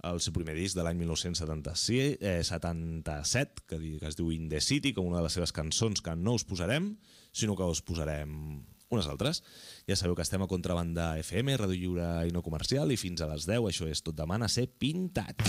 el seu primer disc de l'any mil nou-cents setanta-set, que es diu In the City, com una de les seves cançons que no us posarem, sinó que us posarem unes altres. Ja sabeu que estem a Contrabanda F M, Ràdio Lliure i no comercial, i fins a les deu, això és Tot demana ser pintat.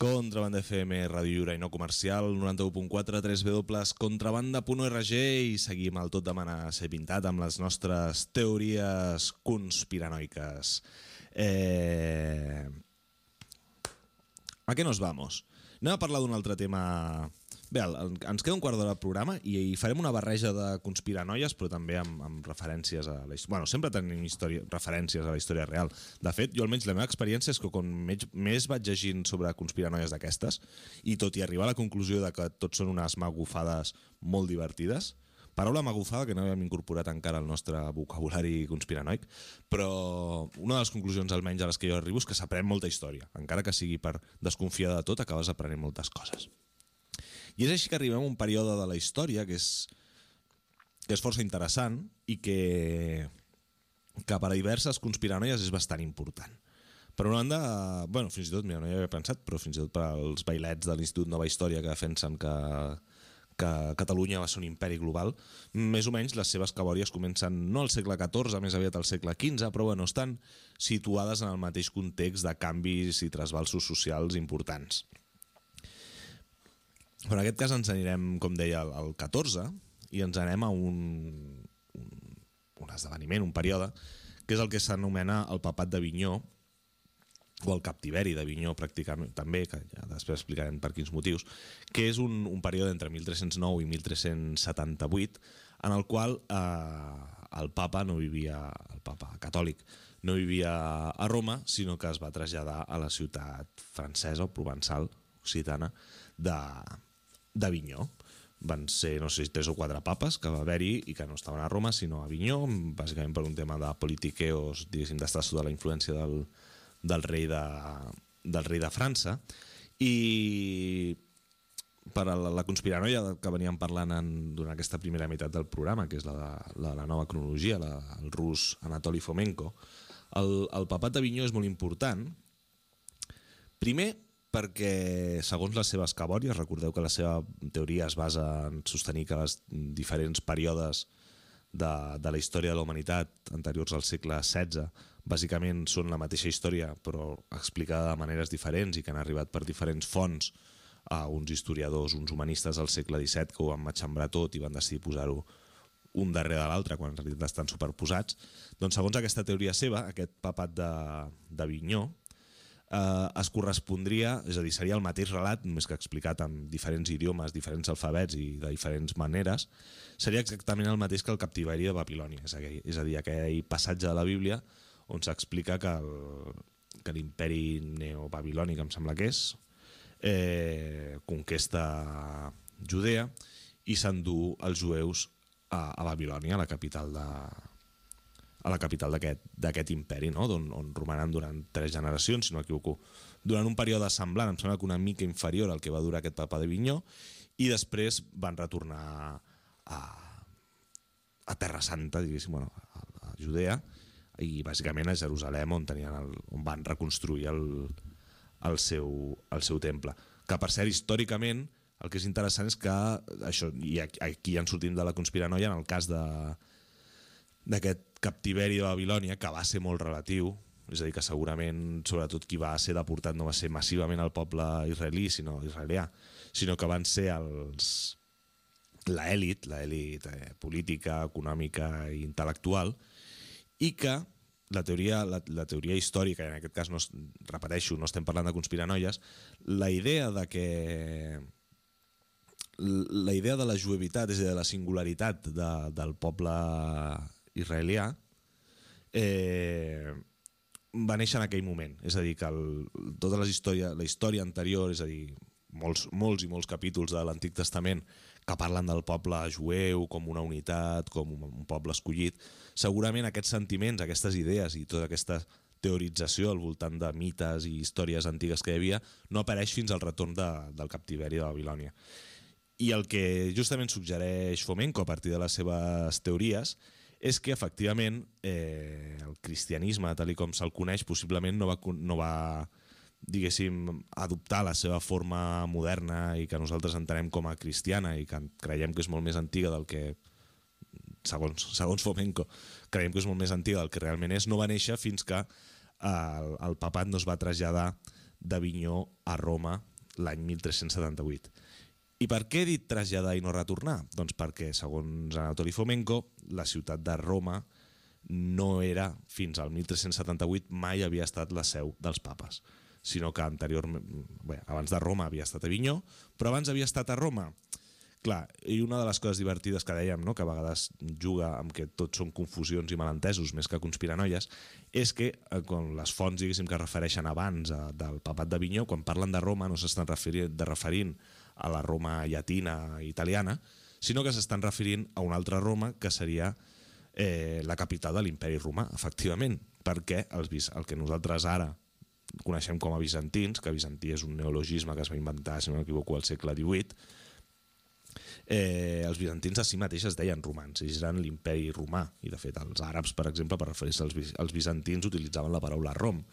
Contrabanda F M, Ràdio Lliure i no comercial, noranta-u punt quatre, tres w contrabanda punt org, i seguim el Tot demana ser pintat amb les nostres teories conspiranoiques. Eh... ¿A què nos vamos? Anem a parlar d'un altre tema. Bé, ens queda un quart d'hora de programa i farem una barreja de conspiranoies, però també amb, amb referències a la història. Bueno, sempre tenim història, referències a la història real. De fet, jo almenys la meva experiència és que quan més, més vaig llegint sobre conspiranoies d'aquestes, i tot i arribar a la conclusió de que tot són unes magufades molt divertides, paraula magufada que no havíem incorporat encara al nostre vocabulari conspiranoic, però una de les conclusions almenys a les que jo arribo és que s'aprèn molta història. Encara que sigui per desconfiar de tot, acabes aprenent moltes coses. I és així que arribem a un període de la història que és, que és força interessant i que, que per a diverses conspiranoies és bastant important. Per una banda, bueno, fins i tot, mira, no hi havia pensat, però fins i tot per als bailets de l'Institut Nova Història que defensen que, que Catalunya va ser un imperi global, més o menys les seves cabòries comencen no al segle catorze, més aviat al segle quinze, però bueno, estan situades en el mateix context de canvis i trasbalsos socials importants. Però en aquest cas ens anirem, com deia, al, al catorze i ens anem a un, un, un esdeveniment, un període, que és el que s'anomena el papat d'Avinyó, o el captiveri d'Avinyó pràcticament també, que ja després explicarem per quins motius, que és un, un període entre mil tres-cents nou i mil tres-cents setanta-vuit en el qual eh, el papa no vivia, el papa catòlic, no vivia a Roma, sinó que es va traslladar a la ciutat francesa o provençal, occitana, d'Avinyó. Van ser, no sé, tres o quatre papes que va haver-hi i que no estaven a Roma, sinó a Avinyó, bàsicament per un tema de politiqueos, diguéssim, d'estar sota la influència del, del, rei de, del rei de França. I per a la, la conspiranoia que veníem parlant en, durant aquesta primera meitat del programa, que és la de la, la nova cronologia, la, el rus Anatoly Fomenko, el, el papat d'Avinyó és molt important. Primer, perquè segons les seves cabòries, recordeu que la seva teoria es basa en sostenir que els diferents períodes de, de la història de la humanitat anteriors al segle setze bàsicament són la mateixa història però explicada de maneres diferents i que han arribat per diferents fonts a uns historiadors, uns humanistes del segle disset que ho van matxembrar tot i van decidir posar-ho un darrere de l'altre quan en realitat estan superposats. Doncs segons aquesta teoria seva, aquest papat d'Avinyó Eh, es correspondria, és a dir, seria el mateix relat, només que explicat en diferents idiomes, diferents alfabets i de diferents maneres, seria exactament el mateix que el captiveri de Babilònia, és a dir, és a dir aquell passatge de la Bíblia on s'explica que l'imperi neobabilònic, em sembla que és, eh, conquesta Judea i s'endú els jueus a, a Babilònia, a la capital de a la capital d'aquest imperi, no? on, on romanen durant tres generacions, si no m'equivoco, durant un període semblant, em sembla que una mica inferior al que va durar aquest papa d'Avinyó, i després van retornar a, a Terra Santa, diguéssim, bueno, a, a Judea, i bàsicament a Jerusalem, on, tenien el, on van reconstruir el, el, seu, el seu temple. Que per cert, històricament, el que és interessant és que, això, i aquí ja en sortim de la conspiranoia, en el cas de d'aquest captiveri de Babilònia, que va ser molt relatiu, és a dir, que segurament, sobretot qui va ser deportat no va ser massivament el poble israelí, sinó israelià, sinó que van ser els l'elit, l'elit eh, política, econòmica i intel·lectual, i que la teoria, la, la teoria històrica, i en aquest cas, no, repeteixo, no estem parlant de conspiranoies, la idea de que la idea de la juevitat, és a dir, de la singularitat de, del poble israelià, eh, va néixer en aquell moment. És a dir, que el, tota les història, la història anterior, és a dir, molts, molts i molts capítols de l'Antic Testament que parlen del poble jueu com una unitat, com un, un poble escollit, segurament aquests sentiments, aquestes idees i tota aquesta teorització al voltant de mites i històries antigues que hi havia no apareix fins al retorn de, del captiveri de Babilònia. I el que justament suggereix Fomenko a partir de les seves teories és que efectivament eh, el cristianisme, tal com se'l coneix, possiblement no va, no va diguéssim, adoptar la seva forma moderna i que nosaltres entenem com a cristiana i que creiem que és molt més antiga del que, segons, segons Fomenko, creiem que és molt més antiga del que realment és, no va néixer fins que el, el papat no es va traslladar d'Avinyó a Roma l'any mil tres-cents setanta-vuit. I per què he dit traslladar i no retornar? Doncs perquè, segons Anatoly Fomenko, la ciutat de Roma no era, fins al mil tres-cents setanta-vuit, mai havia estat la seu dels papes, sinó que anteriorment, bé, abans de Roma havia estat a Avinyó, però abans havia estat a Roma. Clar, i una de les coses divertides que dèiem, no?, que a vegades juga amb que tot són confusions i malentesos més que conspiranoies, és que quan les fonts, diguéssim, que es refereixen abans a, del papat d'Avinyó, quan parlen de Roma no s'estan referint, de referint a la Roma llatina italiana, sinó que s'estan referint a una altra Roma que seria eh, la capital de l'imperi romà, efectivament, perquè els, el que nosaltres ara coneixem com a bizantins, que bizantí és un neologisme que es va inventar, si no m'equivoco, al segle divuit, eh, els bizantins a si mateix es deien romans, ells eren l'imperi romà, i de fet els àrabs, per exemple, per referir-se als, als bizantins utilitzaven la paraula Rom,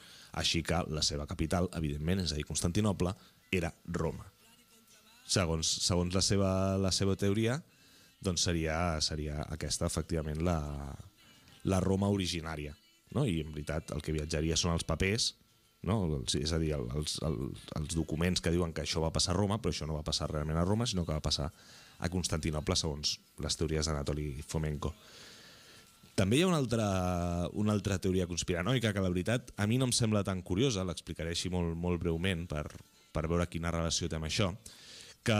així que la seva capital, evidentment, és a dir, Constantinoble, era Roma. Segons, segons la, seva, la seva teoria, doncs seria, seria aquesta, efectivament, la, la Roma originària, no? I en veritat el que viatjaria són els papers no? És a dir, els, els, els documents que diuen que això va passar a Roma, però això no va passar realment a Roma, sinó que va passar a Constantinople, segons les teories d'Anatoli Fomenko. També hi ha una altra, una altra teoria conspiranoica que, la veritat, a mi no em sembla tan curiosa, l'explicaré així molt, molt breument per, per veure quina relació té amb això, que,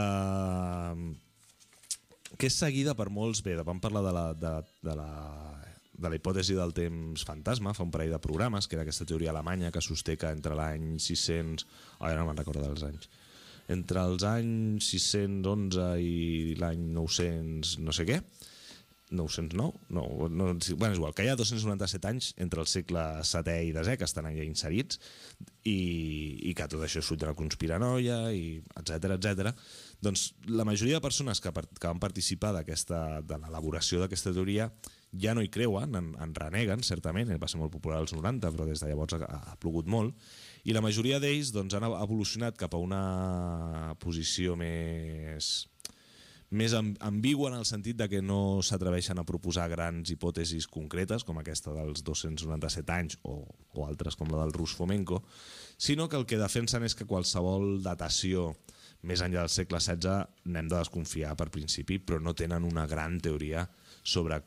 que és seguida per molts... Bé, vam parlar de la, de, de la, de la hipòtesi del temps fantasma fa un parell de programes, que era aquesta teoria alemanya que sosté que entre l'any sis-cents... Ara no me'n recordo dels anys. Entre els anys sis-cents onze i l'any nou-cents no sé què, nou-cents nou? No, no, bueno, és igual, que hi ha dos-cents noranta-set anys entre el segle setè i desè, que estan allà inserits, i, i que tot això és fruit de la conspiranoia, i etcètera, etcètera. Doncs la majoria de persones que, que van participar d'aquesta, de l'elaboració d'aquesta teoria ja no hi creuen, en, en reneguen, certament, va ser molt popular als noranta, però des de llavors ha, ha plogut molt, i la majoria d'ells doncs, han evolucionat cap a una posició més, més ambigua en el sentit de que no s'atreveixen a proposar grans hipòtesis concretes, com aquesta dels dos-cents noranta-set anys o, o altres com la del rus Fomenko, sinó que el que defensen és que qualsevol datació més enllà del segle setze n'hem de desconfiar per principi, però no tenen una gran teoria sobre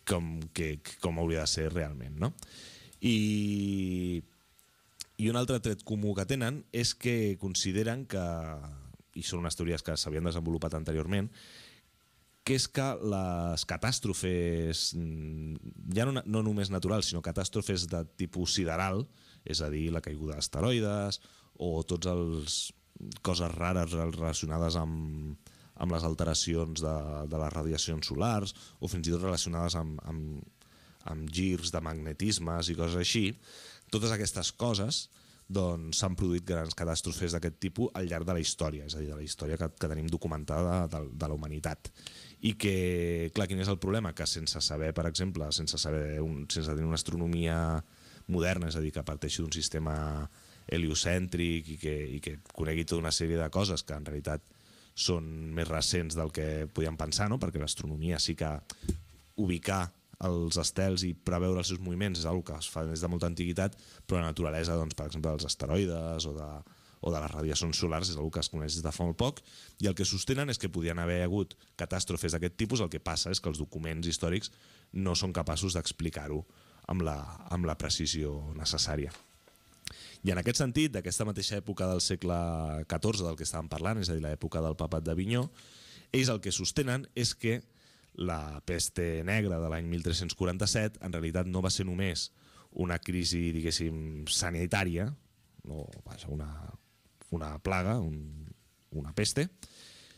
com, que, com hauria de ser realment, no? I... I un altre tret comú que tenen és que consideren que, i són unes teories que s'havien desenvolupat anteriorment, que és que les catàstrofes, ja no, no només naturals, sinó catàstrofes de tipus sideral, és a dir, la caiguda d'asteroides o tots els coses rares relacionades amb, amb les alteracions de, de les radiacions solars o fins i tot relacionades amb, amb, amb girs de magnetismes i coses així, totes aquestes coses doncs, s'han produït grans catàstrofes d'aquest tipus al llarg de la història, és a dir, de la història que, que tenim documentada de, de la humanitat. I que, clar, quin és el problema? Que sense saber, per exemple, sense, saber un, sense tenir una astronomia moderna, és a dir, que parteixi d'un sistema heliocèntric i que, i que conegui tota una sèrie de coses que en realitat són més recents del que podíem pensar, no? Perquè l'astronomia sí que ubicar els estels i preveure els seus moviments és una cosa que es fa des de molta antiguitat, però la naturalesa, doncs, per exemple, dels asteroides o de, o de les radiacions solars és una cosa que es coneix des de fa molt poc, i el que sostenen és que podien haver hagut catàstrofes d'aquest tipus, el que passa és que els documents històrics no són capaços d'explicar-ho amb la, amb la precisió necessària. I en aquest sentit, d'aquesta mateixa època del segle catorze del que estàvem parlant, és a dir, l'època del papat d'Avinyó, ells el que sostenen és que la peste negra de l'any mil tres-cents quaranta-set en realitat no va ser només una crisi, diguéssim, sanitària, no, vaja, una, una plaga, un, una peste,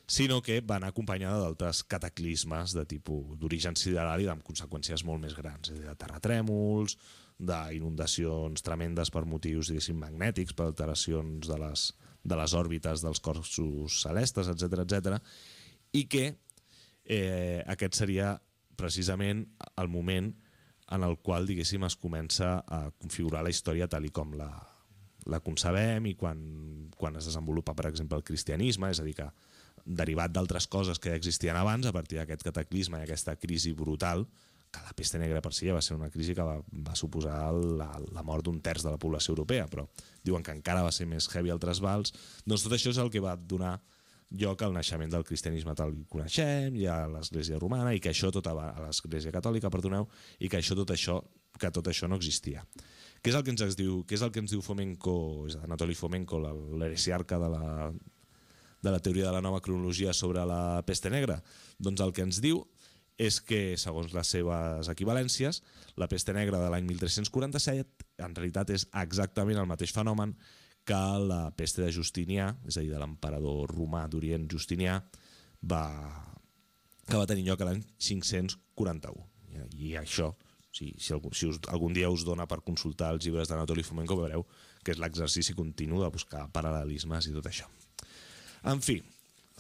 sinó que va anar acompanyada d'altres cataclismes de tipus d'origen sideral i amb conseqüències molt més grans, és a dir, de terratrèmols, d'inundacions tremendes per motius, diguéssim, magnètics, per alteracions de les, de les òrbites dels cossos celestes, etcètera, etcètera, i que Eh, aquest seria precisament el moment en el qual, diguéssim, es comença a configurar la història tal i com la, la concebem i quan, quan es desenvolupa, per exemple, el cristianisme, és a dir, que derivat d'altres coses que ja existien abans, a partir d'aquest cataclisme i aquesta crisi brutal, que la peste negra per si ja va ser una crisi que va, va suposar la, la mort d'un terç de la població europea, però diuen que encara va ser més heavy altres vals, doncs tot això és el que va donar lloc al naixement del cristianisme tal que coneixem, i a l'Església romana, i que això tot a l'Església catòlica, perdoneu, i que això tot això que tot això no existia. Què és el que ens diu, què és el que ens diu Fomenko, és Anatoli Fomenko, l'heresiarca de la, de la teoria de la nova cronologia sobre la peste negra? Doncs el que ens diu és que, segons les seves equivalències, la peste negra de l'any mil tres-cents quaranta-set en realitat és exactament el mateix fenomen que la peste de Justinià, és a dir, de l'emperador romà d'Orient Justinià, va, que va tenir lloc l'any cinc-cents quaranta-u. I això, si, si, algun, si us, algun dia us dona per consultar els llibres d'Anatoli Fomenko, veureu que és l'exercici continu de buscar paral·lelismes i tot això. En fi,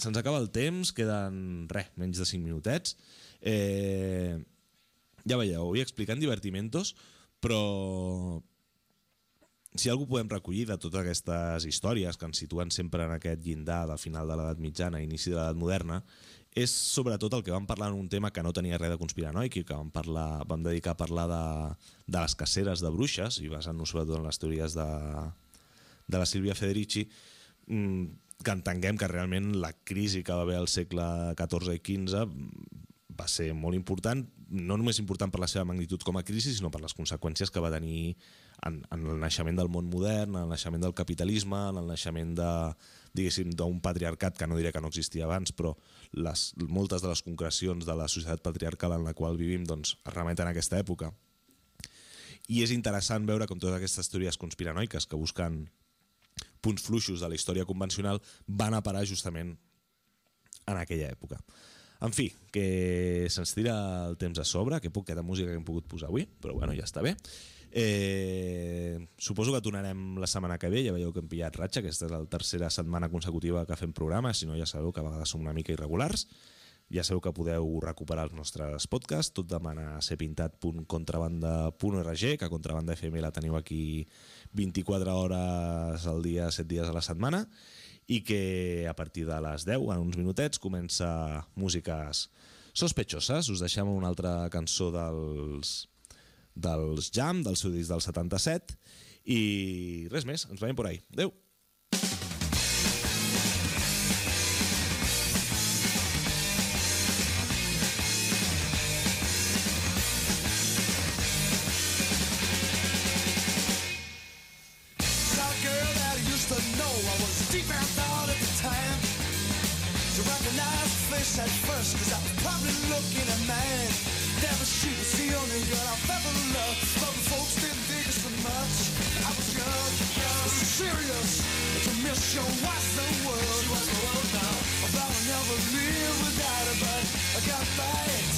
se'ns acaba el temps, queden res, menys de cinc minutets. Eh, ja veieu, vull explicar en divertimentos, però si algú podem recollir de totes aquestes històries que ens situen sempre en aquest llindar del final de l'edat mitjana i inici de l'edat moderna, és sobretot el que vam parlar en un tema que no tenia res de conspiranoic i que vam, parlar, vam dedicar a parlar de, de les caceres de bruixes, i basant-nos sobretot en les teories de, de la Sílvia Federici, que entenguem que realment la crisi que va haver al segle catorze i quinze va ser molt important, no només important per la seva magnitud com a crisi, sinó per les conseqüències que va tenir en, en el naixement del món modern, en el naixement del capitalisme, en el naixement de, diguéssim, d'un patriarcat que no diré que no existia abans, però les, moltes de les concrecions de la societat patriarcal en la qual vivim doncs, es remeten a aquesta època. I és interessant veure com totes aquestes teories conspiranoiques que busquen punts fluixos de la història convencional van a parar justament en aquella època. En fi, que se'ns tira el temps a sobre, que poqueta música que hem pogut posar avui, però bueno, ja està bé. Eh, suposo que tornarem la setmana que ve, ja veieu que hem pillat ratxa, aquesta és la tercera setmana consecutiva que fem programa, si no ja sabeu que a vegades som una mica irregulars. Ja sabeu que podeu recuperar els nostres podcasts, tot demana a serpintat punt contrabanda punt org, que Contrabanda F M la teniu aquí vint-i-quatre hores al dia, set dies a la setmana, i que a partir de les deu, en uns minutets, comença Músiques Sospechoses. Us deixem una altra cançó dels, dels Jam, del seu disc del setanta-set, i res més, ens veiem por ahí. Adéu! At first, cause I was probably looking at man. Never she was the only girl I've ever loved. But the folks didn't dig us so much. I was young, young, so serious. But to miss your was the world. She was the world now. I thought I'd never live without her, but I got by.